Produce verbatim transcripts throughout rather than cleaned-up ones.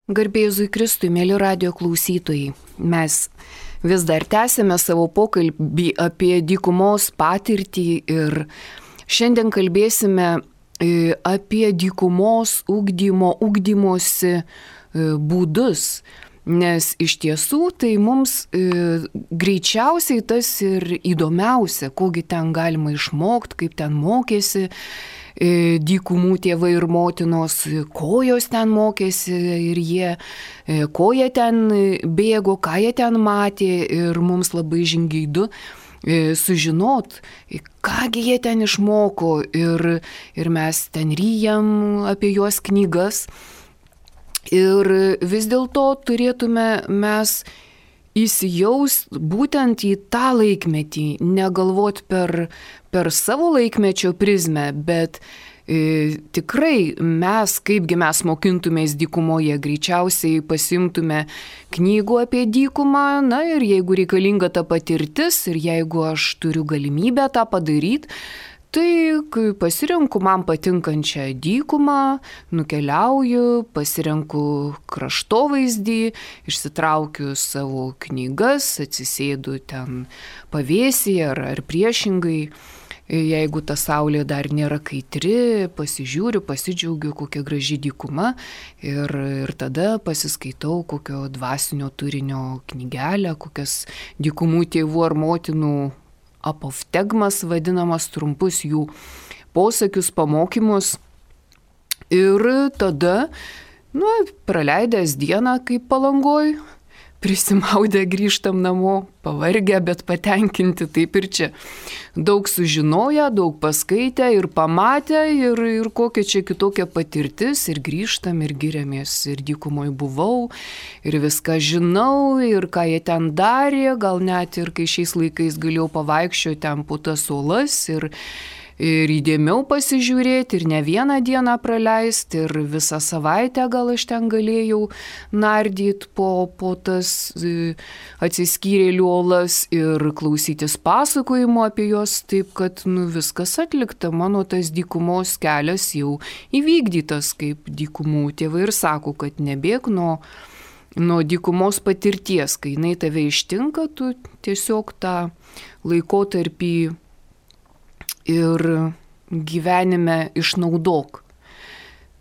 Garbė Jėzui Kristui, mėly radijo klausytojai, mes vis dar tęsėme savo pokalbį apie dykumos patirtį ir šiandien kalbėsime apie dykumos ugdymo, ugdymosi būdus, nes iš tiesų tai mums greičiausiai tas ir įdomiausia, kogi ten galima išmokti, kaip ten mokėsi dykumų tėvai ir motinos, ko jos ten mokėsi ir jie, ko jie ten bėgo, ką jie ten matė ir mums labai žingeidu sužinot, kągi jie ten išmoko ir, ir mes ten ryjam apie juos knygas ir vis dėlto turėtume mes įsijaust būtent į tą laikmetį, negalvot per, per savo laikmečio prizmę, bet e, tikrai mes, kaipgi mes mokintumės dykumoje, greičiausiai pasimtume knygų apie dykumą, na ir jeigu reikalinga ta patirtis ir jeigu aš turiu galimybę tą padaryti, tai kai pasirenku man patinkančią dykumą, nukeliauju, pasirenku kraštovaizdį, išsitraukiu savo knygas, atsisėdu ten pavėsyje ar, ar priešingai. Jeigu ta saulė dar nėra kaitri, pasižiūriu, pasidžiaugiu, kokia graži dykuma ir, ir tada pasiskaitau kokio dvasinio turinio knygelę, kokias dykumų tėvų ar motinų apoftegmas vadinamas, trumpus jų posakius, pamokymus. Ir tada, nu, praleidęs dieną kaip Palangoj, prisimaudę grįžtam namo, pavargę, bet patenkinti, taip ir čia. Daug sužinoję, daug paskaitę ir pamatę ir, ir kokia čia kitokia patirtis ir grįžtam ir giriamės ir dykumoj buvau ir viską žinau ir ką jie ten darė, gal net ir kai šiais laikais galėjau pavaikščioti ten po tas uolas ir ir įdėmiau pasižiūrėti, ir ne vieną dieną praleisti, ir visą savaitę gal aš ten galėjau nardyti po, po tas atsiskyrėlių uolas ir klausytis pasakojimo apie juos, taip kad nu, viskas atlikta, mano tas dykumos kelias jau įvykdytas, kaip dykumų tėvai ir sako, kad nebėk nuo, nuo dykumos patirties, kai jinai tave ištinka, tu tiesiog tą laikotarpį ir gyvenime išnaudok.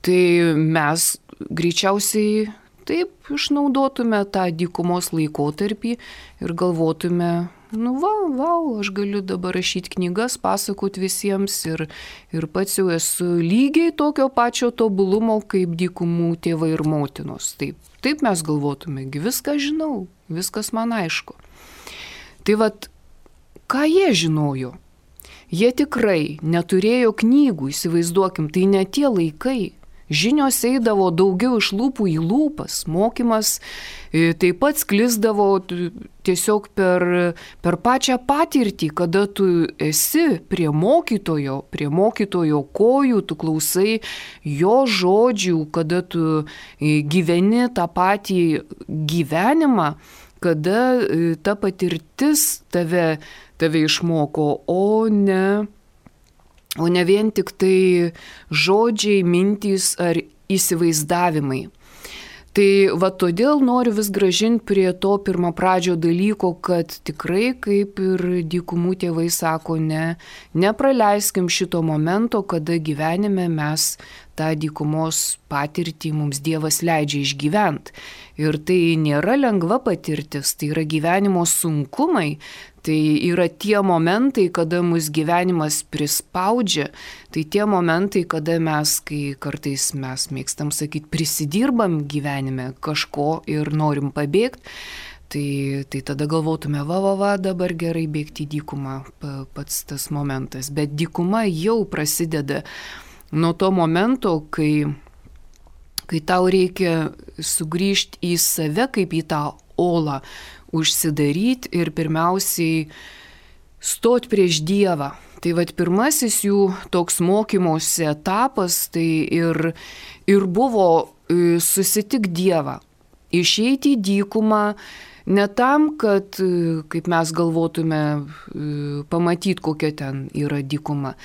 Tai mes greičiausiai taip išnaudotume tą dykumos laikotarpį ir galvotume, nu va, va, aš galiu dabar rašyti knygas, pasakoti visiems ir, ir pats jau esu lygiai tokio pačio tobulumo kaip dykumų tėvai ir motinos. Taip, taip mes galvotume, viską žinau, viskas man aišku. Tai vat, ką jie žinojo? Jie tikrai neturėjo knygų, įsivaizduokim, tai ne tie laikai. Žinios eidavo daugiau iš lūpų į lūpas, mokymas taip pat sklisdavo tiesiog per, per pačią patirtį, kada tu esi prie mokytojo, prie mokytojo kojų, tu klausai jo žodžių, kada tu gyveni tą patį gyvenimą, kada ta patirtis tave tave išmoko, o ne, o ne vien tik tai žodžiai, mintys ar įsivaizdavimai. Tai va todėl noriu vis grąžinti prie to pirmapradžio dalyko, kad tikrai, kaip ir dykumų tėvai sako, ne, nepraleiskim šito momento, kada gyvenime mes tą dykumos patirtį mums Dievas leidžia išgyventi. Ir tai nėra lengva patirtis, tai yra gyvenimo sunkumai, tai yra tie momentai, kada mus gyvenimas prispaudžia, tai tie momentai, kada mes, kai kartais mes mėgstam sakyti, prisidirbam gyvenime kažko ir norim pabėgti, tai, tai tada galvotume, va, va, va, dabar gerai bėgti į dykumą, pats tas momentas. Bet dykuma jau prasideda nuo to momento, kai, kai tau reikia sugrįžti į save kaip į tą olą, užsidaryti ir pirmiausiai stot prieš Dievą. Tai vat pirmasis jų toks mokymosi etapas tai ir, ir buvo susitik Dievą, išeiti į dykumą, ne tam, kad, kaip mes galvotume, pamatyti, kokia ten yra dykuma,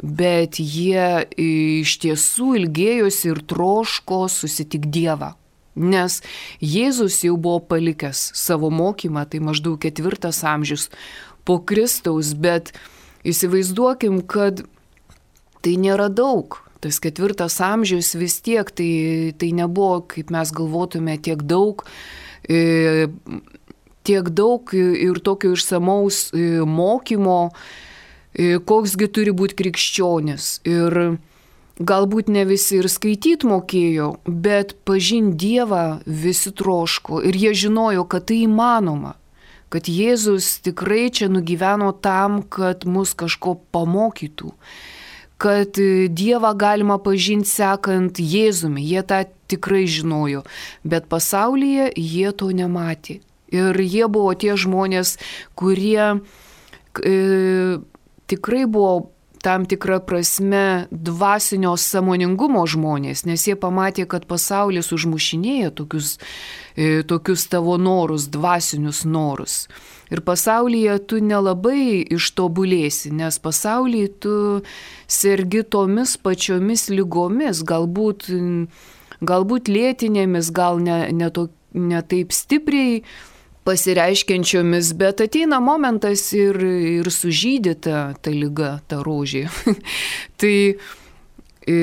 bet jie iš tiesų ilgėjosi ir troško susitik Dievą. Nes Jėzus jau buvo palikęs savo mokymą, tai maždaug ketvirtas amžius po Kristaus, bet įsivaizduokim, kad tai nėra daug. Tas ketvirtas amžius vis tiek, tai, tai nebuvo, kaip mes galvotume, tiek daug, e, tiek daug ir tokio išsamaus e, mokymo, e, koksgi turi būti krikščionis. Ir galbūt ne visi ir skaityti mokėjo, bet pažinti Dievą visi troško ir jie žinojo, kad tai įmanoma. Kad Jėzus tikrai čia nugyveno tam, kad mus kažko pamokytų. Kad Dievą galima pažinti sekant Jėzumi, jie tą tikrai žinojo, bet pasaulyje jie to nematė. Ir jie buvo tie žmonės, kurie e, tikrai buvo tam tikra prasme dvasinio sąmoningumo žmonės, nes jie pamatė, kad pasaulis užmušinėja tokius, e, tokius tavo norus, dvasinius norus. Ir pasaulyje tu nelabai ištobulėsi, nes pasaulyje tu sergi tomis pačiomis lygomis, galbūt, galbūt lėtinėmis, gal ne, ne, to, ne taip stipriai pasireiškiančiomis, bet ateina momentas ir, ir sužydyta ta lyga, ta rožė. Tai e,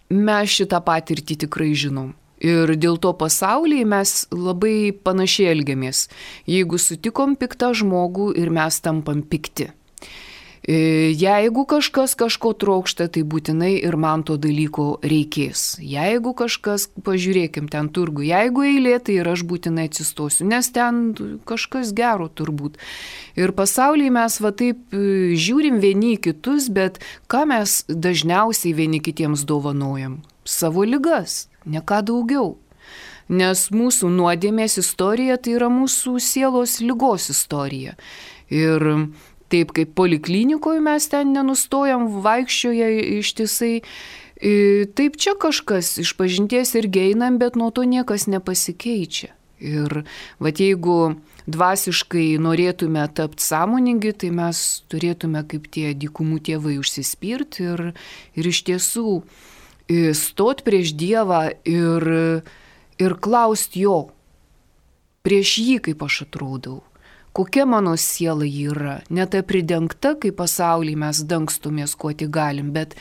mes šitą patirtį tikrai žinom. Ir dėl to pasaulyje mes labai panašiai elgiamės. Jeigu sutikom piktą žmogų ir mes tampam pikti. Jeigu kažkas kažko trokšta, tai būtinai ir man to dalyko reikės. Jeigu kažkas, pažiūrėkim ten turgų, jeigu eilė, tai ir aš būtinai atsistosiu, nes ten kažkas gero turbūt. Ir pasaulyje mes va taip žiūrim vieni į kitus, bet ką mes dažniausiai vieni kitiems dovanojam? Savo ligas, ne ką daugiau. Nes mūsų nuodėmės istorija tai yra mūsų sielos ligos istorija. Ir taip kaip poliklinikoje mes ten nenustojam, vaikščioja ištisai, taip čia kažkas iš pažinties irgi einam, bet nuo to niekas nepasikeičia. Ir vat jeigu dvasiškai norėtume tapti sąmoningi, tai mes turėtume kaip tie dykumų tėvai užsispirti ir, ir iš tiesų stot prieš Dievą ir, ir klausti jo, prieš jį kaip aš atrodau. Kokia mano siela yra, ne ta pridengta, kaip pasaulyje mes dangstumės, kuo tik galim, bet,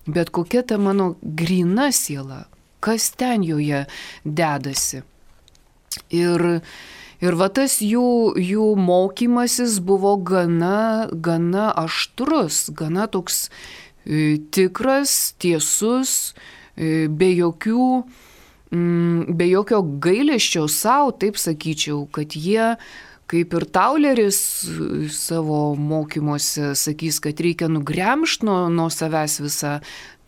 bet kokia ta mano gryna siela, kas ten joje dedasi. Ir, ir va tas jų, jų mokymasis buvo gana, gana aštrus, gana toks e, tikras, tiesus, e, be jokių, mm, be jokio gailesčio savo, taip sakyčiau, kad jie kaip ir Tauleris savo mokymuose sakys, kad reikia nugremžti nuo, nuo savęs visą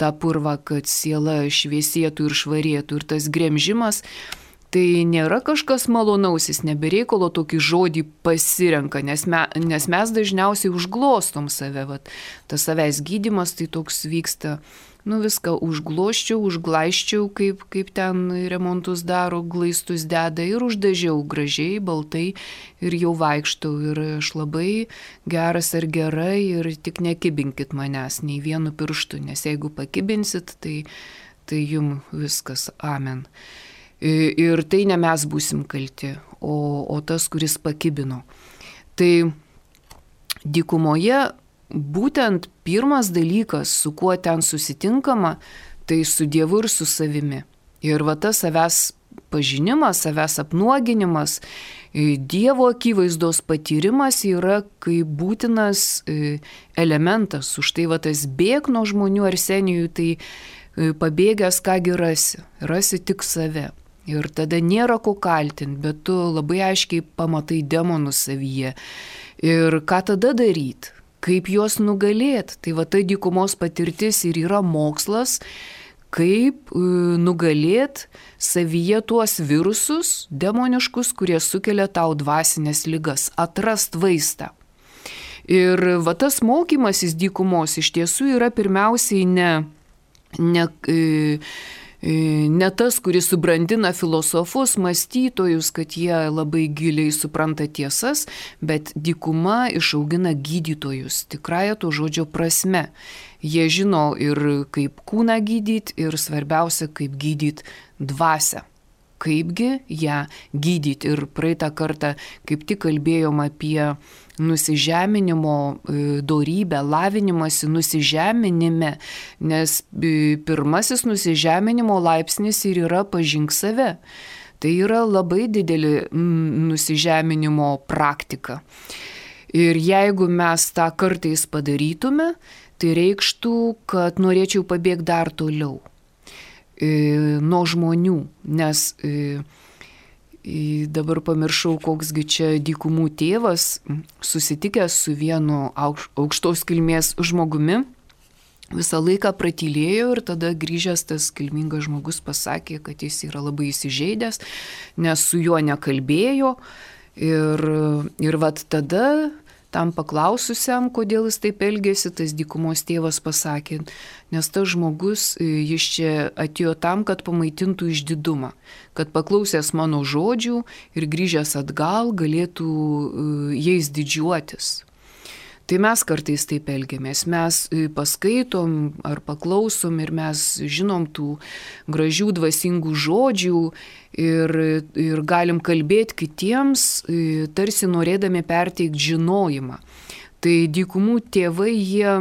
tą purvą, kad siela šviesėtų ir švarėtų. Ir tas gremžimas tai nėra kažkas malonaus, jis nebereikalo tokį žodį pasirenka, nes, me, nes mes dažniausiai užglostom save. Vat, tas savęs gydymas tai toks vyksta. Nu viską užgloščiau, užglaiščiau, kaip, kaip ten remontus daro, glaistus deda ir uždažiau gražiai, baltai ir jau vaikštau. Ir aš labai geras ar gerai ir tik nekibinkit manęs nei vienu pirštu, nes jeigu pakibinsit, tai, tai jum viskas amen. Ir tai ne mes būsim kalti, o, o tas, kuris pakibino. Tai dykumoje būtent pirmas dalykas, su kuo ten susitinkama, tai su Dievu ir su savimi. Ir va tas savęs pažinimas, savęs apnuoginimas, Dievo akivaizdos patyrimas yra kaip būtinas elementas. Už tai va tas bėg nuo žmonių Arsenijui, tai pabėgęs kągi rasi, rasi tik save. Ir tada nėra ko kaltinti, bet tu labai aiškiai pamatai demonus savyje. Ir ką tada daryti? Kaip juos nugalėti. Tai va ta dykumos patirtis ir yra mokslas, kaip nugalėti savyje tuos virusus demoniškus, kurie sukelia tau dvasinės ligas, atrast vaistą. Ir va tas mokymasis dykumos iš tiesų yra pirmiausiai ne, ne, ne tas, kuris subrandina filosofus, mąstytojus, kad jie labai giliai supranta tiesas, bet dykuma išaugina gydytojus, tikrąja to žodžio prasme. Jie žino ir kaip kūną gydyti, ir svarbiausia, kaip gydyti dvasią. kaipgi ją gydyti. Ir praeitą kartą kaip tik kalbėjom apie nusižeminimo dorybę, lavinimąsi nusižeminime, nes pirmasis nusižeminimo laipsnis ir yra pažink save. Tai yra labai didelė nusižeminimo praktika. Ir jeigu mes tą kartais padarytume, tai reikštų, kad norėčiau pabėgti dar toliau nuo žmonių, nes dabar pamiršau, koksgi čia dykumų tėvas, susitikęs su vienu aukštos kilmės žmogumi, visą laiką pratylėjo ir tada grįžęs tas kilmingas žmogus pasakė, kad jis yra labai įsižeidęs, nes su juo nekalbėjo ir, ir vat tada tam paklaususiam, kodėl jis taip elgėsi, tas dykumos tėvas pasakė, nes tas žmogus, jis čia atėjo tam, kad pamaitintų išdidumą, kad paklausęs mano žodžių ir grįžęs atgal galėtų jais didžiuotis. Tai mes kartais taip elgiamės, mes paskaitom ar paklausom ir mes žinom tų gražių dvasingų žodžių ir, ir galim kalbėti kitiems, tarsi norėdami perteikti žinojimą. Tai dykumų tėvai, jie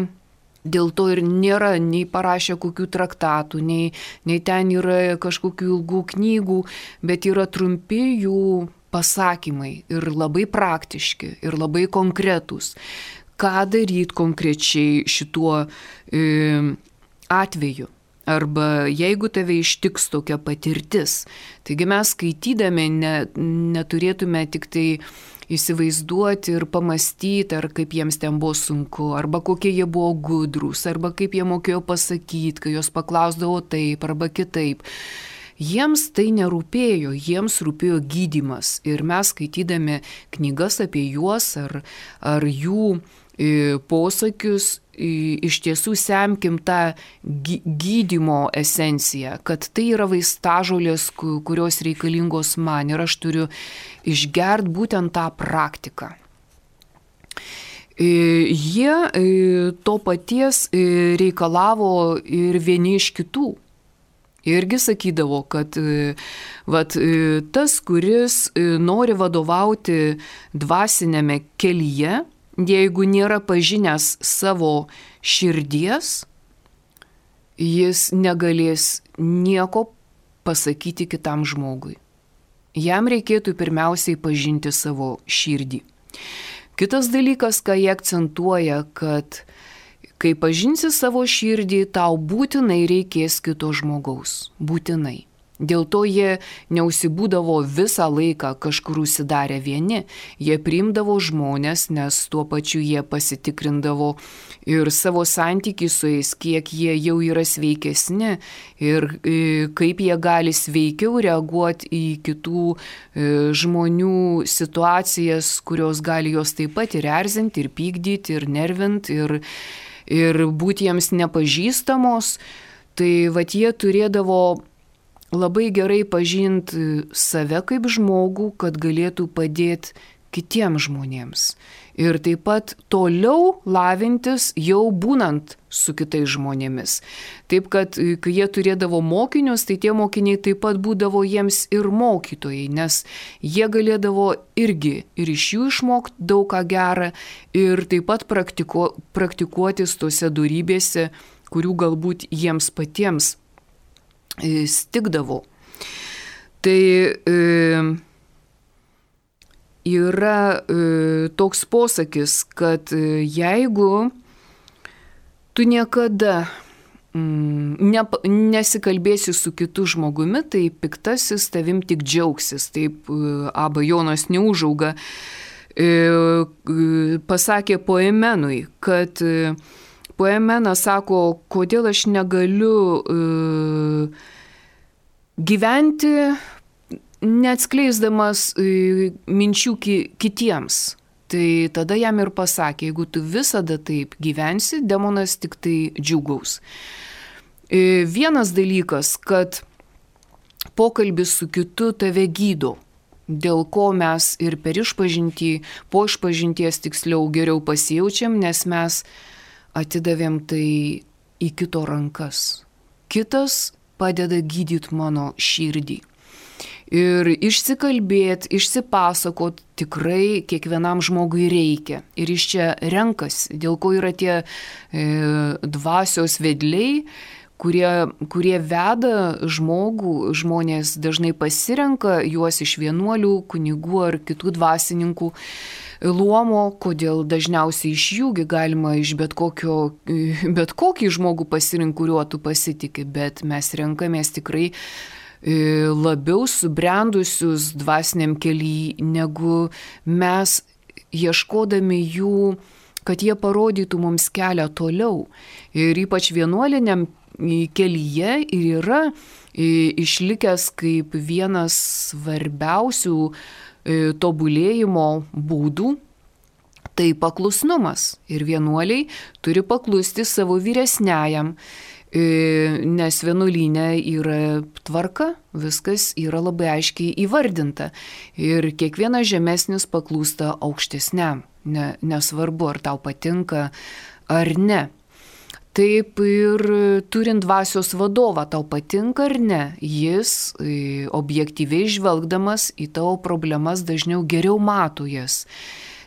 dėl to ir nėra nei parašę kokių traktatų, nei, nei ten yra kažkokių ilgų knygų, bet yra trumpi jų pasakymai ir labai praktiški ir labai konkretūs. Ką daryti konkrečiai šituo e, atveju. Arba jeigu tave ištiks tokia patirtis. Taigi mes skaitydami ne, neturėtume tik tai įsivaizduoti ir pamastyti, ar kaip jiems ten buvo sunku, arba kokie jie buvo gudrūs, arba kaip jie mokėjo pasakyti, kai jos paklausdavo taip arba kitaip. Jiems tai nerūpėjo, jiems rūpėjo gydymas. Ir mes skaitydami knygas apie juos ar, ar jų posakius, iš tiesų semkim tą gydymo esenciją, kad tai yra vaistažolės, kurios reikalingos man ir aš turiu išgert būtent tą praktiką. Jie to paties reikalavo ir vieni iš kitų. Irgi sakydavo, kad vat, tas, kuris nori vadovauti dvasinėme kelyje, jeigu nėra pažinęs savo širdies, jis negalės nieko pasakyti kitam žmogui. Jam reikėtų pirmiausiai pažinti savo širdį. Kitas dalykas, ką jie akcentuoja, kad kai pažinsi savo širdį, tau būtinai reikės kito žmogaus. Būtinai. Dėl to jie neužsibūdavo visą laiką kažkur užsidarę vieni. Jie priimdavo žmonės, nes tuo pačiu jie pasitikrindavo ir savo santykį su jais, kiek jie jau yra sveikesni ir kaip jie gali sveikiau reaguoti į kitų žmonių situacijas, kurios gali jos taip pat ir erzinti, ir pykdyti, ir nervinti, ir, ir būti jiems nepažįstamos. Tai vat jie turėdavo labai gerai pažinti save kaip žmogų, kad galėtų padėti kitiems žmonėms. Ir taip pat toliau lavintis jau būnant su kitais žmonėmis. Taip, kad kai jie turėdavo mokinius, tai tie mokiniai taip pat būdavo jiems ir mokytojai, nes jie galėdavo irgi ir iš jų išmokti daug ką gerą ir taip pat praktiko, praktikuotis tose dorybėse, kurių galbūt jiems patiems stigdavo. Tai e, yra e, toks posakis, kad e, jeigu tu niekada mm, ne, nesikalbėsi su kitu žmogumi, tai piktasis tavim tik džiaugsis. Taip e, Aba Jonas Neužauga e, e, pasakė Poemenui, kad e, Poemenas sako, kodėl aš negaliu uh, gyventi neatskleisdamas uh, minčių ki- kitiems. Tai tada jam ir pasakė, jeigu tu visada taip gyvensi, demonas tik tai džiugaus. Uh, vienas dalykas, kad pokalbis su kitu tave gydo, dėl ko mes ir per išpažintį, po išpažinties tiksliau geriau pasijaučiam, nes mes atidavėm tai į kito rankas. Kitas padeda gydyti mano širdį. Ir išsikalbėti, išsipasakot tikrai kiekvienam žmogui reikia. Ir iš čia renkasi, dėl ko yra tie e, dvasios vedliai, kurie, kurie veda žmogų, žmonės dažnai pasirenka juos iš vienuolių, kunigų ar kitų dvasininkų luomo, kodėl dažniausiai iš jųgi galima iš bet, kokio, bet kokį žmogų pasirinkti, kuriuo tu pasitikė, bet mes renkamės tikrai labiau subrendusius dvasiniam kely, negu mes ieškodami jų, kad jie parodytų mums kelią toliau. Ir ypač vienuoliniam kelyje ir yra išlikęs kaip vienas svarbiausių tobulėjimo būdų, tai paklusnumas. Ir vienuoliai turi paklusti savo vyresniajam, nes vienuolyne yra tvarka, viskas yra labai aiškiai įvardinta. Ir kiekvienas žemesnis paklūsta aukštesniam, ne, nesvarbu, ar tau patinka ar ne. Taip ir turint dvasios vadovą, tau patinka ar ne, jis objektyviai žvelgdamas į tavo problemas dažniau geriau mato jas.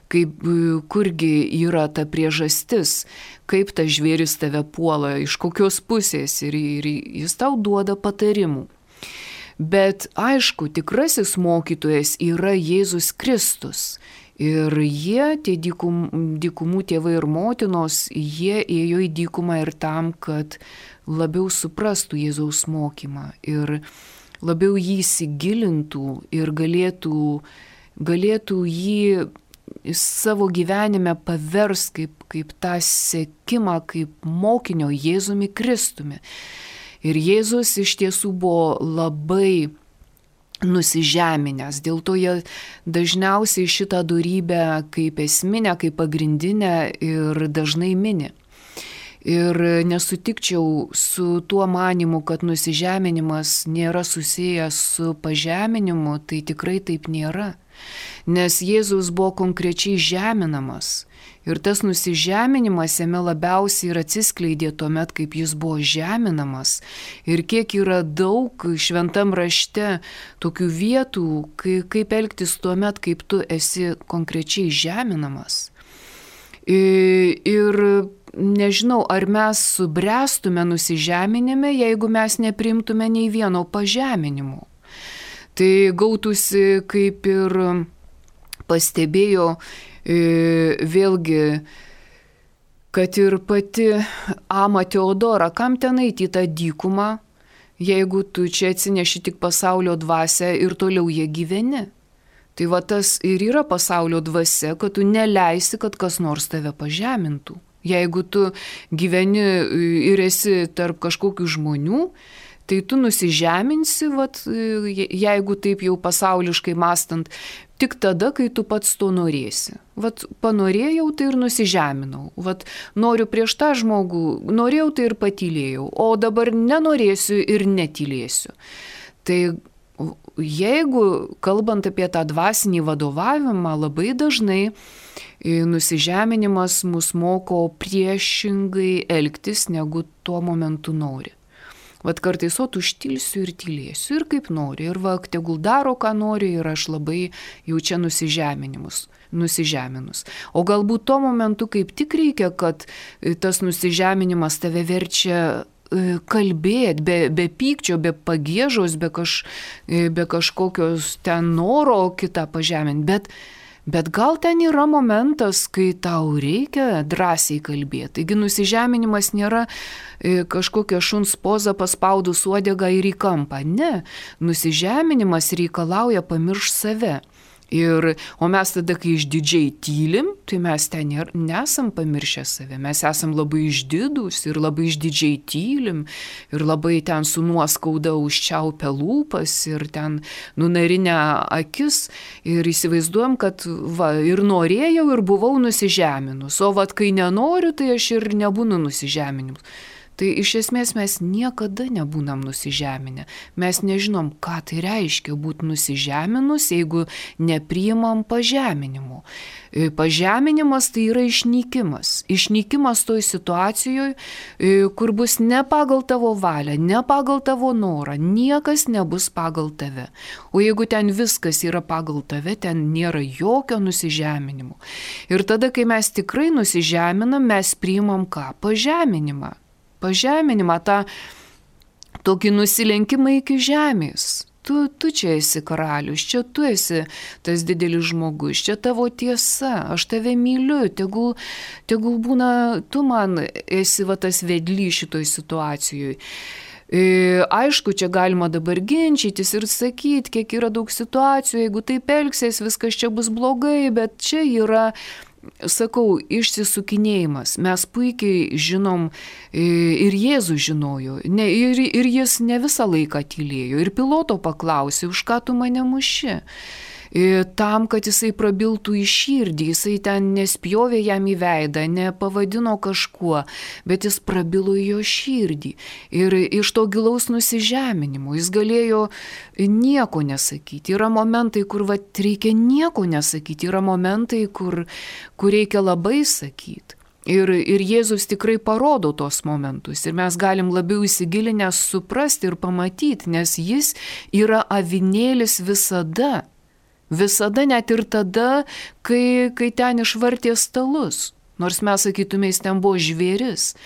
Kaip, kurgi yra ta priežastis, kaip tas žvėris tave puola, iš kokios pusės ir, ir jis tau duoda patarimų. Bet aišku, tikrasis mokytojas yra Jėzus Kristus. Ir jie, tie dykum, dykumų tėvai ir motinos, jie ėjo į dykumą ir tam, kad labiau suprastų Jėzaus mokymą ir labiau jį įsigilintų ir galėtų, galėtų jį savo gyvenime pavers kaip, kaip tą sekimą, kaip mokinio Jėzumi Kristumi. Ir Jėzus iš tiesų buvo labai nusižeminęs, dėl to jie dažniausiai šitą dorybę kaip esminę, kaip pagrindinę ir dažnai mini. Ir nesutikčiau su tuo manimu, kad nusižeminimas nėra susijęs su pažeminimu, tai tikrai taip nėra. Nes Jėzus buvo konkrečiai žeminamas ir tas nusižeminimas jame labiausiai ir atsiskleidė tuomet, kaip jis buvo žeminamas. Ir kiek yra daug šventam rašte tokių vietų, kaip elgtis tuomet, kaip tu esi konkrečiai žeminamas. Ir nežinau, ar mes subręstume nusižeminime, jeigu mes neprimtume nei vieno pažeminimo. Tai gautųsi, kaip ir pastebėjo vėlgi, kad ir pati Ama Teodora, kam ten eiti į tą dykumą, jeigu tu čia atsineši tik pasaulio dvasią ir toliau jie gyveni. Tai va tas ir yra pasaulio dvasia, kad tu neleisi, kad kas nors tave pažemintų. Jeigu tu gyveni ir esi tarp kažkokių žmonių, tai tu nusižeminsi, vat, jeigu taip jau pasauliškai mastant, tik tada, kai tu pats to norėsi. Vat panorėjau, tai ir nusižeminau. Vat noriu prieš tą žmogų, norėjau, tai ir patylėjau, o dabar nenorėsiu ir netylėsiu. Tai jeigu, kalbant apie tą dvasinį vadovavimą, labai dažnai nusižeminimas mus moko priešingai elgtis, negu tuo momentu nori. Vat kartais, o tu užtilsiu ir tylėsiu ir kaip nori. Ir va, tegul daro, ką nori ir aš labai jau čia nusižeminimus, nusižeminus. O galbūt tuo momentu kaip tik reikia, kad tas nusižeminimas tave verčia kalbėti, be, be pykčio, be pagiežos, be, kaž, be kažkokios ten noro kitą pažeminti. Bet Bet gal ten yra momentas, kai tau reikia drąsiai kalbėti. Taigi nusižeminimas nėra kažkokia šuns poza paspaudus uodegą ir į kampą. Ne, nusižeminimas reikalauja pamiršti save. Ir, o mes tada, kai išdidžiai tylim, tai mes ten nesam pamiršę save. Mes esam labai išdidus ir labai išdidžiai tylim ir labai ten su nuoskauda užčiaupę lūpas ir ten nunarinę akis ir įsivaizduojam, kad va, ir norėjau ir buvau nusižeminus. O vat, kai nenoriu, tai aš ir nebūnu nusižeminus. Tai iš esmės mes niekada nebūnam nusižeminę. Mes nežinom, ką tai reiškia būti nusižeminus, jeigu nepriimam pažeminimo. Pažeminimas tai yra išnykimas. Išnykimas toj situacijoje, kur bus ne pagal tavo valią, ne pagal tavo norą, niekas nebus pagal tave. O jeigu ten viskas yra pagal tave, ten nėra jokio nusižeminimo. Ir tada, kai mes tikrai nusižeminam, mes priimam ką? Pažeminimą. Pažeminimą, tą tokį nusilenkimą iki žemės. Tu, tu čia esi karalius, čia tu esi tas didelis žmogus, čia tavo tiesa, aš tave myliu, tegul, tegul būna, tu man esi va tas vedlys šitoj situacijoje. E, aišku, čia galima dabar ginčytis ir sakyti, kiek yra daug situacijų, jeigu taip elgsies, viskas čia bus blogai, bet čia yra, sakau, išsisukinėjimas. Mes puikiai žinom ir Jėzus žinojo, ne, ir, ir jis ne visą laiką tylėjo. Ir piloto paklausė, už ką tu mane muši? Tam, kad jisai prabiltų į širdį, jisai ten nespjovė jam į veidą, nepavadino kažkuo, bet jis prabilo į jo širdį. Ir iš to gilaus nusižeminimo jis galėjo nieko nesakyti. Yra momentai, kur va, reikia nieko nesakyti, yra momentai, kur, kur reikia labai sakyti. Ir, ir Jėzus tikrai parodo tos momentus ir mes galim labiau įsigilinę suprasti ir pamatyti, nes jis yra avinėlis visada. Visada, net ir tada, kai, kai ten išvartė stalus. Nors mes sakytume, jis ten buvo žvėris.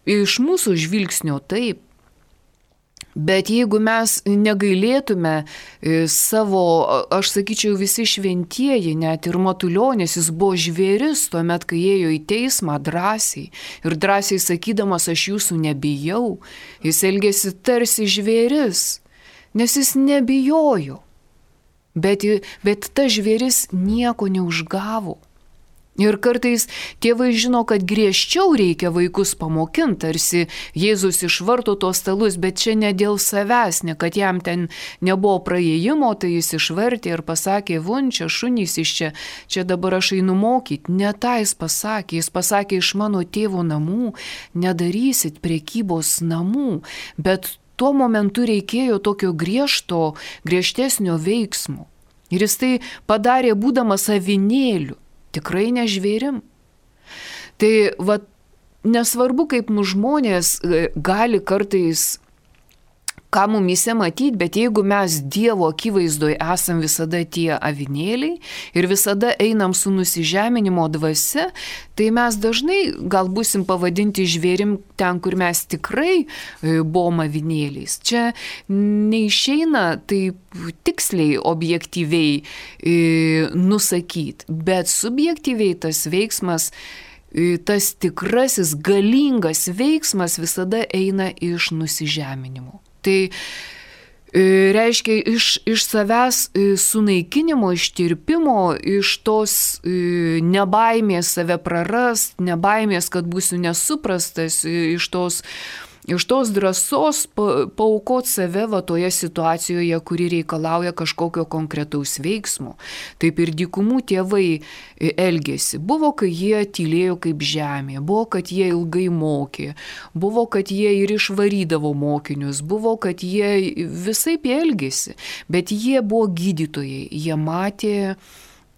Iš mūsų žvilgsnio taip. Bet jeigu mes negailėtume savo, aš sakyčiau, visi šventieji, net ir Matulionis, jis buvo žvėris tuomet, kai ėjo į teismą drąsiai. Ir drąsiai sakydamas, aš jūsų nebijau. Jis elgėsi tarsi žvėris, nes jis nebijojo. Bet, bet ta žvėris nieko neužgavo. Ir kartais tėvai žino, kad griežčiau reikia vaikus pamokinti, tarsi Jėzus išvarto tos stalus, bet čia ne dėl savęs, ne kad jam ten nebuvo praėjimo, tai jis išvartė ir pasakė, vun, čia šunys iš čia, čia dabar aš einu mokyti. Ne tą jis pasakė, jis pasakė, iš mano tėvo namų nedarysit prekybos namų, bet tuo momentu reikėjo tokio griežto, griežtesnio veiksmo. Ir jis tai padarė būdamas avinėliu, tikrai ne žvėrim. Tai va, nesvarbu, kaip mūsų žmonės gali kartais ką mumise matyti, bet jeigu mes Dievo akivaizdoje esam visada tie avinėliai ir visada einam su nusižeminimo dvasia, tai mes dažnai gal būsim pavadinti žvėrim ten, kur mes tikrai buvom avinėliais. Čia neišeina taip tiksliai, objektyviai e, nusakyti, bet subjektyviai tas veiksmas, tas tikrasis galingas veiksmas visada eina iš nusižeminimo. Tai reiškia iš, iš savęs sunaikinimo, ištirpimo, iš tos nebaimės save prarast, nebaimės, kad būsiu nesuprastas, iš tos, iš tos drąsos paaukoti save va toje situacijoje, kuri reikalauja kažkokio konkretaus veiksmo. Taip ir dykumų tėvai elgėsi. Buvo, kai jie tylėjo kaip žemė, buvo, kad jie ilgai mokė, buvo, kad jie ir išvarydavo mokinius, buvo, kad jie visaip elgėsi, bet jie buvo gydytojai, jie matė,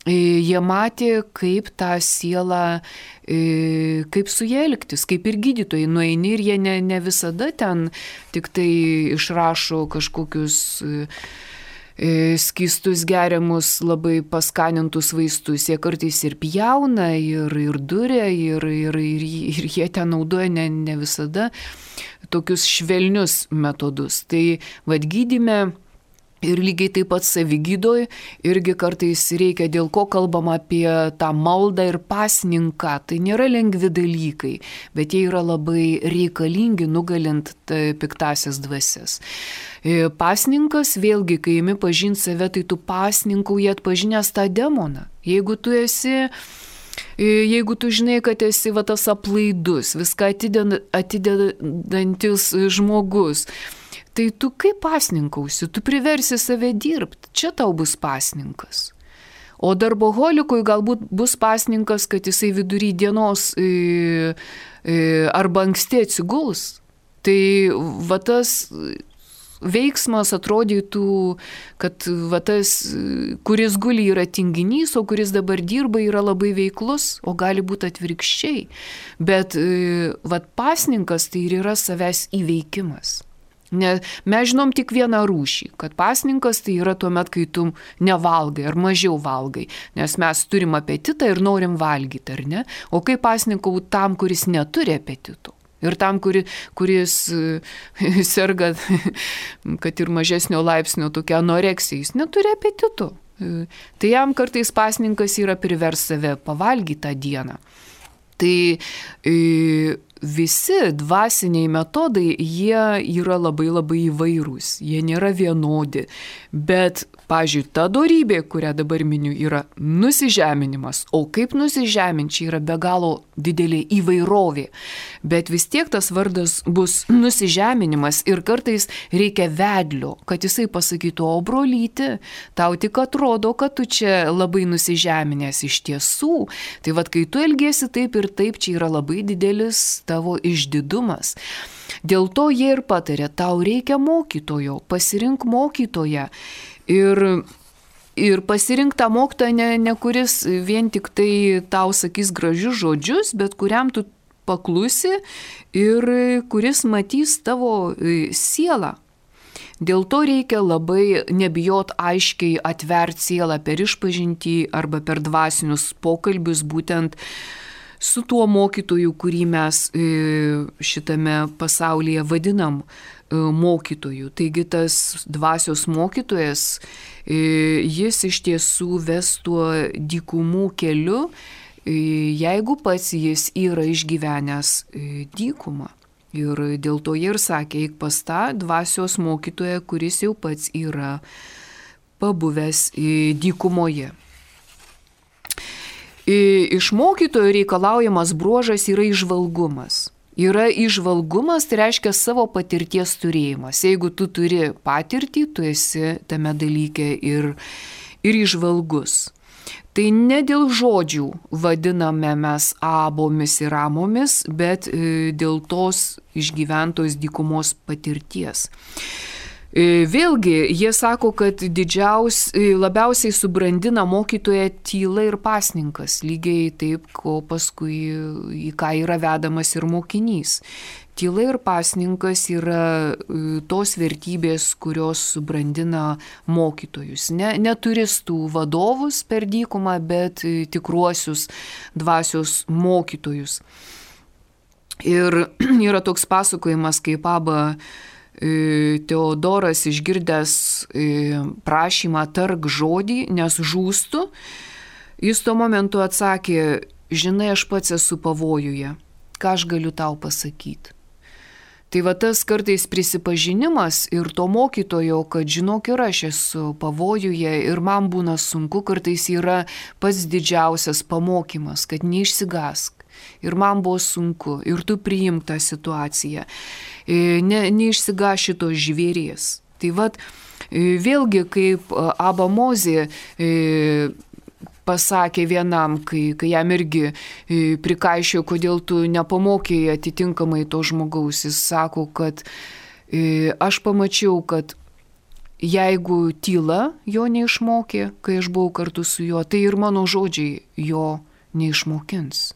jie matė, kaip tą sielą, kaip su jie elgtis, kaip ir gydytojai nueini ir jie ne, ne visada ten tik tai išrašo kažkokius skystus geriamus, labai paskanintus vaistus. Jie kartais ir pjauna, ir, ir duria, ir, ir, ir, ir jie ten naudoja ne, ne visada tokius švelnius metodus. Tai vad gydyme ir lygiai taip pat savigydoj irgi kartais reikia, dėl ko kalbama apie tą maldą ir pasninką. Tai nėra lengvi dalykai, bet jie yra labai reikalingi nugalint piktasias dvasias. Pasninkas, vėlgi, kai imi pažinti save, tai tu pasninkauji atpažinęs tą demoną. Jeigu tu esi, jeigu tu žinai, kad esi va tas aplaidus, viską atidedantis žmogus, tai tu kaip pasninkausi, tu priversi save dirbti, čia tau bus pasninkas. O darboholikui galbūt bus pasninkas, kad jisai vidury dienos e, e, arba anksti atsiguls. Tai va tas veiksmas atrodytų, kad va tas, kuris guli yra tinginys, o kuris dabar dirba yra labai veiklus, o gali būti atvirkščiai. Bet va pasninkas tai ir yra savęs įveikimas. Ne, mes žinom tik vieną rūšį, kad pasninkas tai yra tuomet, kai tu nevalgai ar mažiau valgai, nes mes turim apetitą ir norim valgyti, ar ne? O kaip pasninkau tam, kuris neturi apetito? Ir tam, kuri, kuris serga, kad ir mažesnio laipsnio tokia anoreksija, jis neturi apetito. Tai jam kartais pasninkas yra privers save pavalgyti tą dieną. Tai e, visi dvasiniai metodai, jie yra labai labai įvairūs, jie nėra vienodi, bet, pavyzdžiui, ta dorybė, kurią dabar miniu, yra nusižeminimas, o kaip nusižeminti, čia yra be galo didelė įvairovė, bet vis tiek tas vardas bus nusižeminimas ir kartais reikia vedlio, kad jisai pasakytų, o brolyti, tau tik atrodo, kad tu čia labai nusižeminęs iš tiesų, tai vad, kai tu elgiesi taip ir taip, čia yra labai didelis tavo išdidumas. Dėl to jie ir patarė, tau reikia mokytojo, pasirink mokytoją. Ir, ir pasirink tą mokytoją, ne, ne kuris vien tik tai tau sakys gražius žodžius, bet kuriam tu paklusi ir kuris matys tavo sielą. Dėl to reikia labai nebijot aiškiai atverti sielą per išpažintį arba per dvasinius pokalbius, būtent su tuo mokytoju, kurį mes šitame pasaulyje vadinam mokytoju. Taigi tas dvasios mokytojas, jis iš tiesų ves tuo dykumų keliu, jeigu pats jis yra išgyvenęs dykumą. Ir dėl to jie ir sakė, eik pas tą dvasios mokytoją, kuris jau pats yra pabuvęs dykumoje. Iš mokytojo reikalaujamas bruožas yra įžvalgumas. Yra įžvalgumas, tai reiškia savo patirties turėjimas. Jeigu tu turi patirtį, tu esi tame dalyke ir, ir įžvalgus. Tai ne dėl žodžių vadiname mes abomis ir amomis, bet dėl tos išgyventos dykumos patirties. Vėlgi, jie sako, kad didžiaus, labiausiai subrandina mokytoją tyla ir pasninkas, lygiai taip, ko paskui į ką yra vedamas ir mokinys. Tyla ir pasninkas yra tos vertybės, kurios subrandina mokytojus. Ne, ne turistų vadovus per dykumą, bet tikruosius dvasios mokytojus. Ir yra toks pasakojimas, kaip Aba Teodoras išgirdęs prašymą tark žodį, nes žūstu, jis tuo momentu atsakė, žinai, aš pats esu pavojuje, ką aš galiu tau pasakyti. Tai va tas kartais prisipažinimas ir to mokytojo, kad žinok, ir aš esu pavojuje ir man būna sunku, kartais yra pats didžiausias pamokymas, kad neišsigask. Ir man buvo sunku, ir tu priimk tą situaciją. Ne, neišsiga šitos žvėries. Tai vat, vėlgi, kaip Aba Mozė pasakė vienam, kai, kai jam irgi prikaišėjo, kodėl tu nepamokėjai atitinkamai to žmogaus. Jis sako, kad aš pamačiau, kad jeigu tyla jo neišmokė, kai aš buvau kartu su juo, tai ir mano žodžiai jo neišmokins.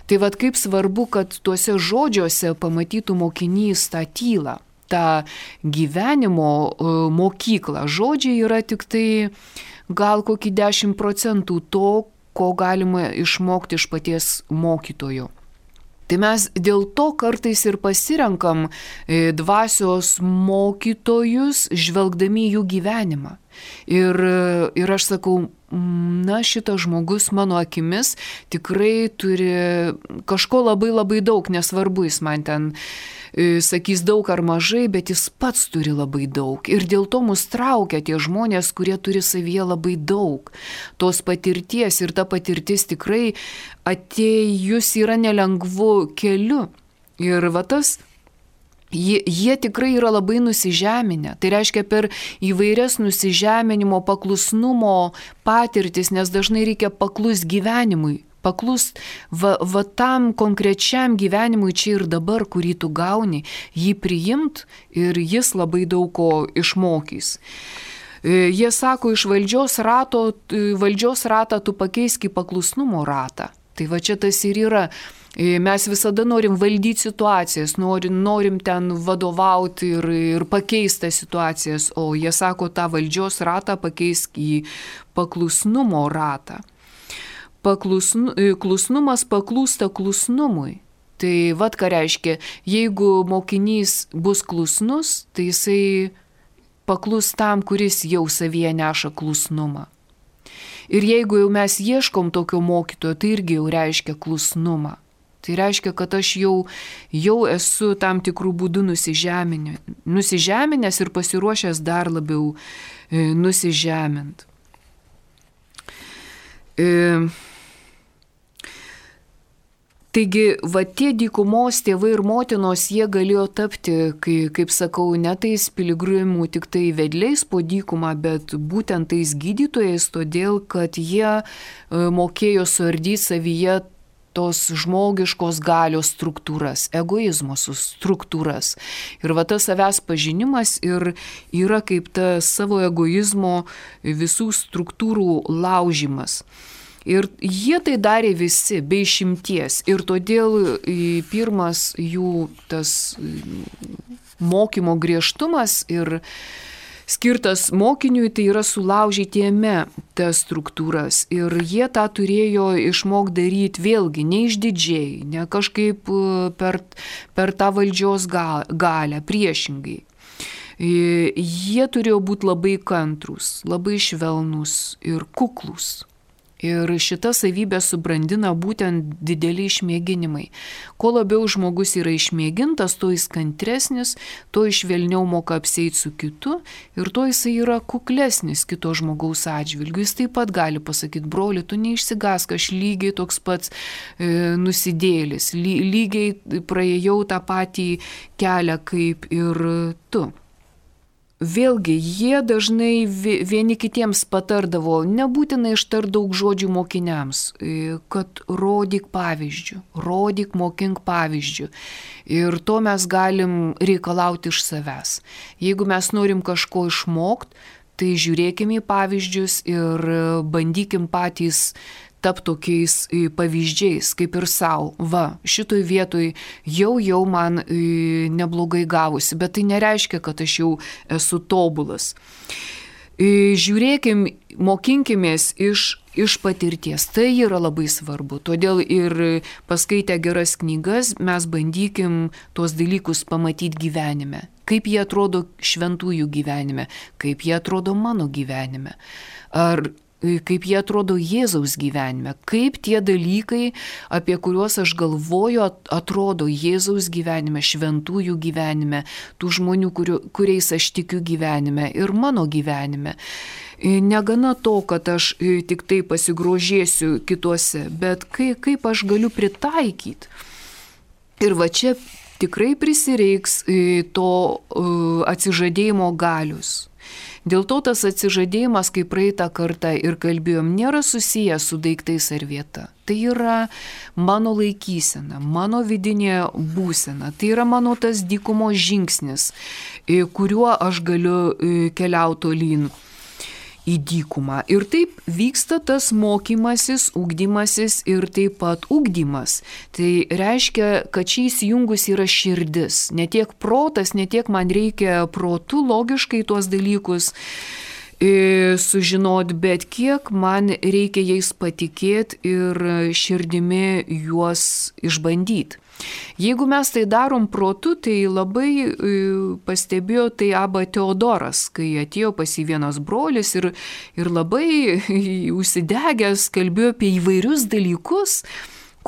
Tai vad kaip svarbu, kad tuose žodžiuose pamatytų mokinys tą tylą, tą gyvenimo mokyklą. Žodžiai yra tik tai gal kokį dešimt procentų to, ko galima išmokti iš paties mokytojo. Tai mes dėl to kartais ir pasirenkam dvasios mokytojus, žvelgdami jų gyvenimą. Ir, ir aš sakau, na, šitas žmogus mano akimis tikrai turi kažko labai labai daug, nesvarbu, jis man ten sakys daug ar mažai, bet jis pats turi labai daug. Ir dėl to mus traukia tie žmonės, kurie turi savyje labai daug tos patirties, ir ta patirtis tikrai atėjus yra nelengvu keliu. Ir va tas Jie, jie tikrai yra labai nusižeminę. Tai reiškia per įvairias nusižeminimo, paklusnumo patirtis, nes dažnai reikia paklus gyvenimui. Paklus va, va tam konkrečiam gyvenimui čia ir dabar, kurį tu gauni, jį priimt ir jis labai daug ko išmokys. Jie sako, iš valdžios rato, valdžios ratą tu pakeisk į paklusnumo ratą. Tai va čia tas ir yra. Mes visada norim valdyti situacijas, norim, norim ten vadovauti ir, ir pakeisti situacijas, o jie sako, tą valdžios ratą pakeisk į paklusnumo ratą. Paklusnu, klusnumas paklūsta klusnumui. Tai vat ką reiškia, jeigu mokinys bus klusnus, tai jisai paklus tam, kuris jau savyje neša klusnumą. Ir jeigu jau mes ieškom tokio mokytojo, tai irgi jau reiškia klusnumą. Tai reiškia, kad aš jau, jau esu tam tikrų būdų nusižeminę, nusižeminęs ir pasiruošęs dar labiau e, nusižemint. E, Taigi, va tie dykumos tėvai ir motinos, jie galėjo tapti, kai, kaip sakau, ne tais piligrimų tik tai vedliais po dykumą, bet būtent tais gydytojais, todėl, kad jie e, mokėjo suardyti savyje tos žmogiškos galios struktūras, egoizmo struktūras. Ir va tas savęs pažinimas ir yra kaip ta savo egoizmo visų struktūrų laužimas. Ir jie tai darė visi, be išimties. Ir todėl pirmas jų tas mokymo griežtumas ir skirtas mokiniui, tai yra sulaužyti jame tas struktūras. Ir jie tą turėjo išmok daryti vėlgi, neišdidžiai, ne kažkaip per, per tą valdžios galią, priešingai. Jie turėjo būti labai kantrus, labai švelnus ir kuklus. Ir šita savybė subrandina būtent dideli išmėginimai. Kuo labiau žmogus yra išmėgintas, tuo jis kantresnis, tuo švelniau moka apsieiti su kitu ir tuo jis yra kuklesnis kito žmogaus atžvilgiu. Jis taip pat gali pasakyti, broli, tu neišsigask, aš lygiai toks pats e, nusidėlis, ly, lygiai praėjau tą patį kelią kaip ir tu. Vėlgi, jie dažnai vieni kitiems patardavo, nebūtinai ištart daug žodžių mokiniams, kad rodyk pavyzdžių, rodyk, mokink pavyzdžių. Ir to mes galim reikalauti iš savęs. Jeigu mes norim kažko išmokti, tai žiūrėkim į pavyzdžius ir bandykim patys tap tokiais pavyzdžiais, kaip ir savo. Va, šitoj vietoj jau jau man neblogai gavosi, bet tai nereiškia, kad aš jau esu tobulas. Žiūrėkim, mokinkimės iš, iš patirties. Tai yra labai svarbu. Todėl ir paskaitę geras knygas mes bandykim tuos dalykus pamatyti gyvenime. Kaip jie atrodo šventųjų gyvenime, kaip jie atrodo mano gyvenime. Ar kaip jie atrodo Jėzaus gyvenime, kaip tie dalykai, apie kuriuos aš galvoju, atrodo Jėzaus gyvenime, šventųjų gyvenime, tų žmonių, kuriu, kuriais aš tikiu gyvenime ir mano gyvenime. Negana to, kad aš tik tai pasigrožėsiu kituose, bet kaip, kaip aš galiu pritaikyti. Ir va čia tikrai prisireiks to atsižadėjimo galius. Dėl to tas atsižadėjimas, kaip praeitą kartą ir kalbėjom, nėra susijęs su daiktais ar vieta. Tai yra mano laikysena, mano vidinė būsena, tai yra mano tas dykumo žingsnis, kuriuo aš galiu keliauti tolyn į dykumą. Ir taip vyksta tas mokymasis, ugdymasis ir taip pat ugdymas. Tai reiškia, kad čia įsijungus yra širdis. Ne tiek protas, ne tiek man reikia protu logiškai tuos dalykus e, sužinoti, bet kiek man reikia jais patikėti ir širdimi juos išbandyti. Jeigu mes tai darom protu, tai labai e, pastebėjo tai Abba Teodoras, kai atėjo pas jį vienas brolis ir, ir labai užsidegęs kalbėjo apie įvairius dalykus,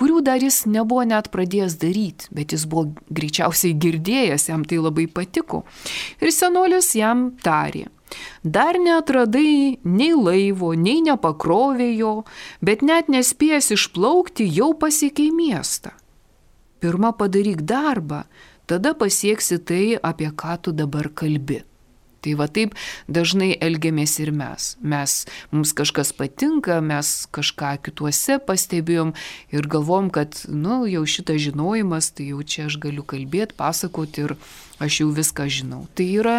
kurių dar jis nebuvo net pradėjęs daryti, bet jis buvo greičiausiai girdėjęs, jam tai labai patiko. Ir senolis jam tarė: dar neatradai nei laivo, nei nepakrovė jo, bet net nespėjęs išplaukti, jau pasiekei miestą. Pirma padaryk darbą, tada pasieksi tai, apie ką tu dabar kalbi. Tai va taip dažnai elgiamės ir mes. Mes, mums kažkas patinka, mes kažką kituose pastebėjom ir galvom, kad, nu, jau šitas žinojimas, tai jau čia aš galiu kalbėti, pasakoti ir aš jau viską žinau. Tai yra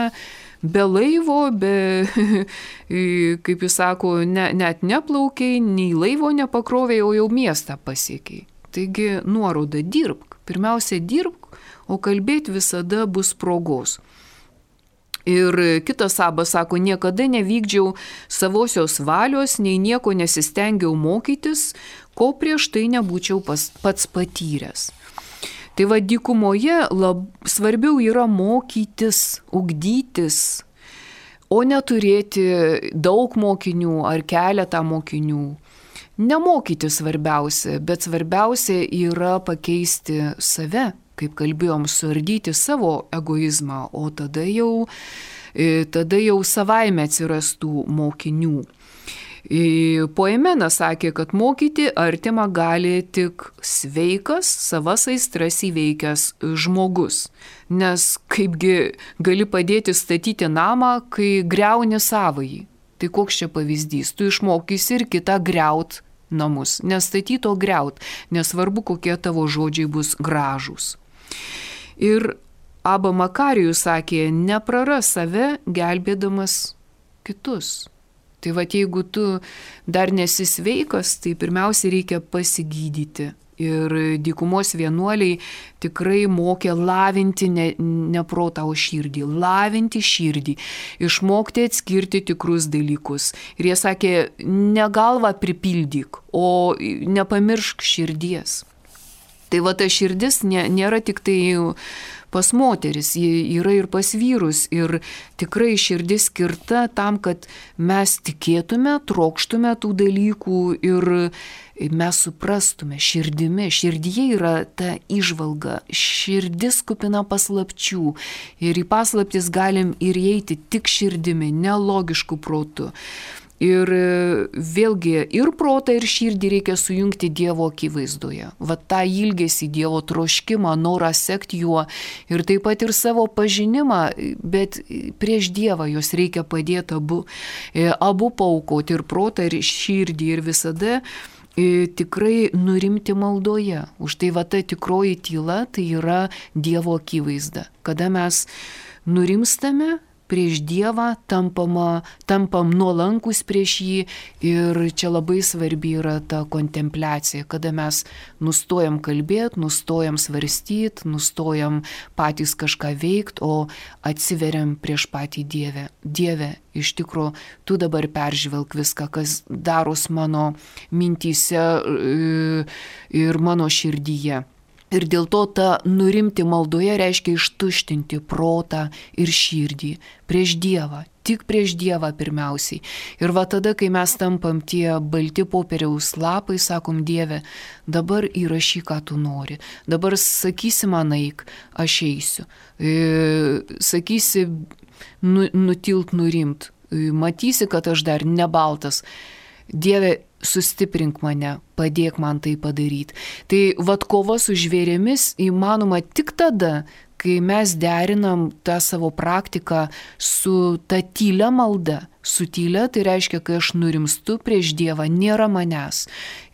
be laivo, be, kaip jis sako, ne, net neplaukiai, nei laivo nepakrovė, o jau miestą pasiekiai. Taigi nuoroda dirbk. Pirmiausia dirbk, o kalbėti visada bus progos. Ir kitas Abas sako, niekada nevykdžiau savosios valios, nei nieko nesistengiau mokytis, ko prieš tai nebūčiau pas, pats patyręs. Tai va, dykumoje lab, svarbiau yra mokytis, ugdytis, o neturėti daug mokinių ar keletą mokinių. Nemokyti svarbiausia, bet svarbiausia yra pakeisti save. Kaip kalbėjom, suardyti savo egoizmą, o tada jau, tada jau savaime atsirastų mokinių. Poemenas sakė, kad mokyti artimą gali tik sveikas, savas aistras įveikęs žmogus. Nes kaipgi gali padėti statyti namą, kai griauni savąjį. Tai koks čia pavyzdys? Tu išmokysi ir kitą griaut namus. Nestatyt, o griaut. Nesvarbu, kokie tavo žodžiai bus gražūs. Ir Abba Makarijus sakė, nepraras save gelbėdamas kitus. Tai va, jeigu tu dar nesi sveikas, tai pirmiausia reikia pasigydyti. Ir dykumos vienuoliai tikrai mokė lavinti ne, ne protą, o širdį. Lavinti širdį, išmokti atskirti tikrus dalykus. Ir jie sakė, ne galvą pripildyk, o nepamiršk širdies. Tai va, ta širdis nė, nėra tik tai pas moteris, ji yra ir pas vyrus. Ir tikrai širdis skirta tam, kad mes tikėtume, trokštume tų dalykų ir mes suprastume širdimi. Širdyje yra ta įžvalga, širdis kupina paslapčių. Ir į paslaptis galim ir įeiti tik širdimi, nelogišku protu. Ir vėlgi ir protą, ir širdį reikia sujungti Dievo akivaizdoje. Va tą ilgesį, Dievo troškimą, norą sekti juo ir taip pat ir savo pažinimą, bet prieš Dievą jos reikia padėti abu, abu paaukoti, ir protą, ir širdį, ir visada tikrai nurimti maldoje. Už tai va ta tikroji tyla, tai yra Dievo akivaizda. Kada mes nurimstame prieš Dievą, tampama, tampam nuolankus prieš jį, ir čia labai svarbi yra ta kontempliacija, kada mes nustojam kalbėti, nustojam svarstyti, nustojam patys kažką veikti, o atsiveriam prieš patį Dievę. Dieve, iš tikrųjų, tu dabar peržvelk viską, kas daros mano mintyse ir mano širdyje. Ir dėl to ta nurimti maldoje reiškia ištuštinti protą ir širdį prieš Dievą, tik prieš Dievą pirmiausiai. Ir va tada, kai mes tampam tie balti popieriaus lapai, sakom, Dieve, dabar įrašyk, ką tu nori. Dabar sakysi man eik, aš eisiu. E, sakysi nu, nutilt, nurimt. E, matysi, kad aš dar nebaltas. Dieve, sustiprink mane, padėk man tai padaryti. Tai vat kova su žvėrėmis įmanoma tik tada, kai mes derinam tą savo praktiką su ta tylia malda. Su tylia tai reiškia, kai aš nurimstu prieš Dievą, nėra manęs.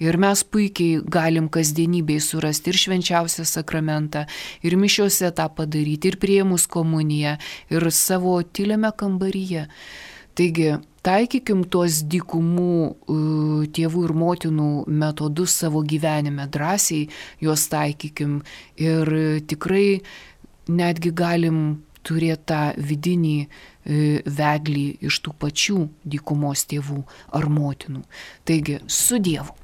Ir mes puikiai galim kasdienybėj surasti ir švenčiausią sakramentą, ir mišiuose tą padaryti, ir priėmus komuniją, ir savo tyliame kambaryje. Taigi, taikykim tuos dykumų tėvų ir motinų metodus savo gyvenime, drąsiai juos taikykim ir tikrai netgi galim turėti tą vidinį vedlį iš tų pačių dykumos tėvų ar motinų. Taigi, su Dievu.